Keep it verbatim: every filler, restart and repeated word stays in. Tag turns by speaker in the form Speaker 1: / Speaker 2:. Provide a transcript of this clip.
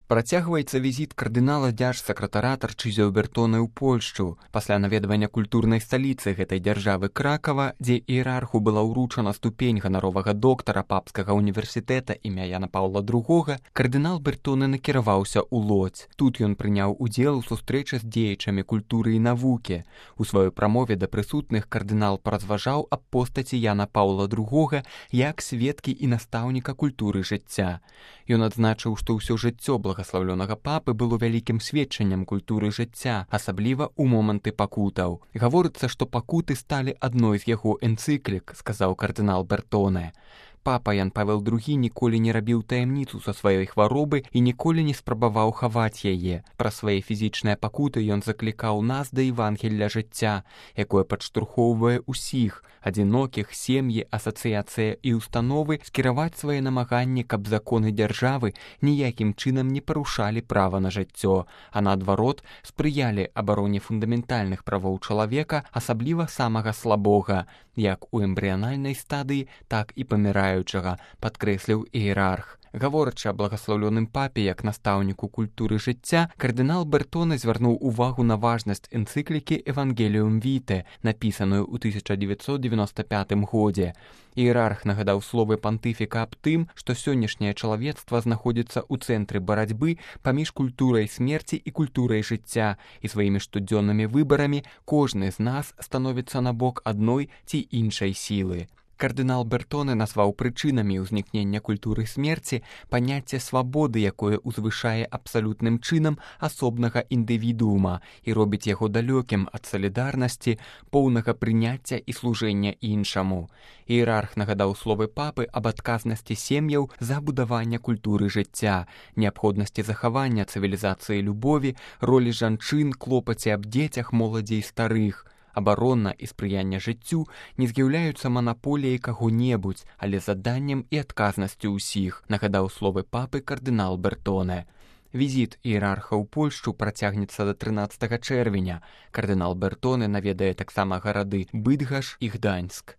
Speaker 1: Працягваецца візіт кардынала дзяржсакратара Тарчызіо Бертоне ў Польшчу. Пасля наведвання культурнай сталіцы гэтай дзяржавы Кракава, дзе іерарху была ўручана ступень ганаровага доктара папскага універсітэта імя Яна Паўла другога, кардынал Бертоне накіраваўся ў Лодзь. Тут ён прыняў удзел у сустрэчы з дзеячамі культуры і навукі. У сваёй прамове да прысутных кардынал паразважаў аб постаці Яна Паўла другога як сведкі і настаўніка культуры жыцця. Ён адзначыў, што ўсё жыццё благаслаўлёнага папы было вялікім сведчаннем культуры жыцця, асабліва ў моманты пакутаў. Гаворыцца, што пакуты сталі адной з яго энцыклік, сказаў кардынал Бертоне. Папа Ян Павел другі ніколі не рабіў таямніцу са сваёй хваробы і ніколі не спрабаваў хаваць яе. Пра свае фізічныя пакуты ён заклікаў нас да Евангелля жыцця, якое падштурхоўвае ўсіх, адзінокіх, сем'і, асацыяцыі і установы скіраваць свае намаганні, каб законы дзяржавы ніякім чынам не парушалі права на жыццё, а наадварот спрыялі абароне фундаментальных правоў чалавека, асабліва самага слабога, як у эмбрыянальнай стадыі, так і паміраючага, падкрэсліў іерарх. Гаворачы аб благаслаўлёным папе як настаўніку культуры жыцця, кардынал Бертоне звярнуў увагу на важнасць энцыклікі «Евангеліум Віте», напісаную ў тысяча дзевяцьсот дзевяноста пятым годзе. Іерарх нагадаў словы пантыфіка аб тым, што сённяшняе чалавецтва знаходзіцца ў цэнтры барацьбы паміж культурай смерці і культурай жыцця, і сваімі штодзённымі выбарамі кожны з нас становіцца на бок адной ці іншай сілы. Кардынал Бертоне назваў прычынамі ўзнікнення культуры смерці паняцце свабоды, якое ўзвышае абсалютным чынам асобнага індывідуума і робіць яго далёкім ад салідарнасці, поўнага прыняцця і служэння іншаму. Іерарх нагадаў словы папы аб адказнасці сем'яў за будаванне культуры жыцця, неабходнасці захавання цывілізацыі любові, ролі жанчын, клопаце аб дзецях, моладзі і старых. Абарона і спрыянне жыццю не з'яўляюцца манаполіяй каго-небудзь, але заданнем і адказнасцю ўсіх, нагадаў словы папы кардынал Бертоне. Візіт іерарха ў Польшчу працягнецца да трынаццатага чэрвеня. Кардынал Бертоне наведае таксама гарады Быдгаш і Гданьск.